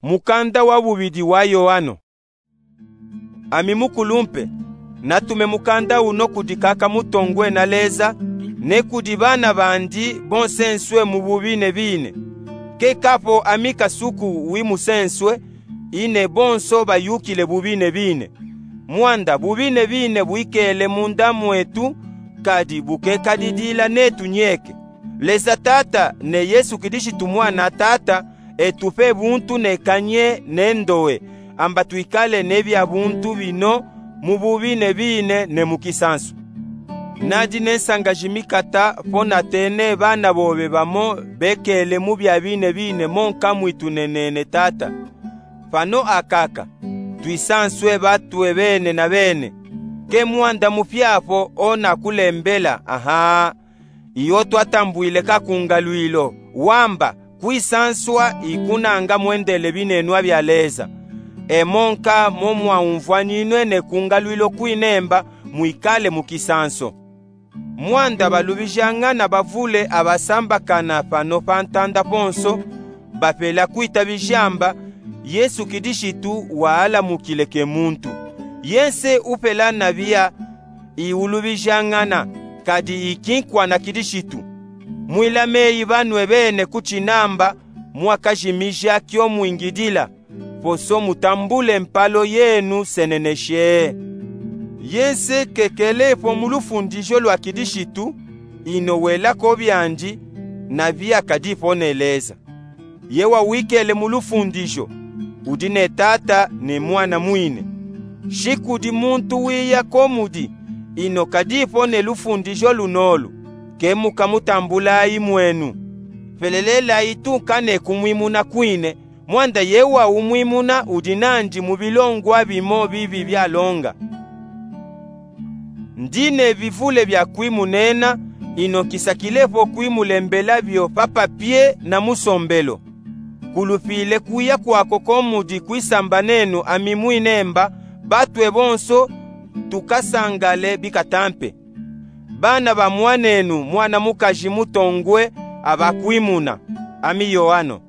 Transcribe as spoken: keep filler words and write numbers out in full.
Mukanda wa bubidi wa Yoano. Ami mukulumpe, natume mukanda uno kudi kaka mutongwe na Leza, ne kudi bana bandi bonsenswe mu bubinebine. Keka po ami kasuku wi musenswe, ine bonso bayukile bubinebine. Mwanda bubinebine bwikele munda mwetu, kadi bukekadidila netu nyeke. Leza Tata ne Yesu Kilishitu Mwana Tata, etupe buntu ne kanye ne ndowe, amba twikale ne bia buntu bino mu bubinebine ne mu kisansu. Nadi ne nsanga jimikata po natene bana bobe bamo bekele mu bia binebine mo nka mwitu ne nene Tata. Pano akaka, twisanswe batwe bene na bene. Ke mwanda mupya po ona kulembela, aha. Iyo twatambwile kakungalwilo, wamba, kwisanswa ikunanga mwendele binenwa bia Leza. Emo nka mo mwaumvwaninwe ne kungalwilo kwinemba mwikale mu kisanso. Mwanda balubijangana bavule abasambakana pano pa ntanda ponso, bapela kwitabija amba, Yesu Kilishitu waalamukile ke muntu. Yense upela na bia iulubijangana, kadi ikinkwa na Kilishitu. Mwilame yi banwe bene ku chinamba mwakajimija kyo mwingidila, poso mutambule mpalo yenu seneneshe. Yense kekele po mu lufundijo lwa Kilishitu, ino welako biandi, na bia kadipo ne Leza. Ye wawikele mu lufundijo, udi ne Tata ne Mwana mwine. Shi kudi muntu wiya ko mudi, ino kadipo ne lufundijo lunolu, ke mukamutambulayi mwenu. Pelelelayi tunka ne kumwimuna kwine, mwanda ye waumwimuna udi nandi mu bilongwa bimo bibi bialonga. Ndi ne bivule bia kwimunena, ino nkisakilepo kwimulembela bio pa papie na mu sombelo. Kulupile kuya kwako ko mudi kwisambanenu ami mwinemba, batwe bonso tukasangale bikatampe. Bana ba mwanenu mwana mukaji mutongwe abakwimuna, ami Yoano.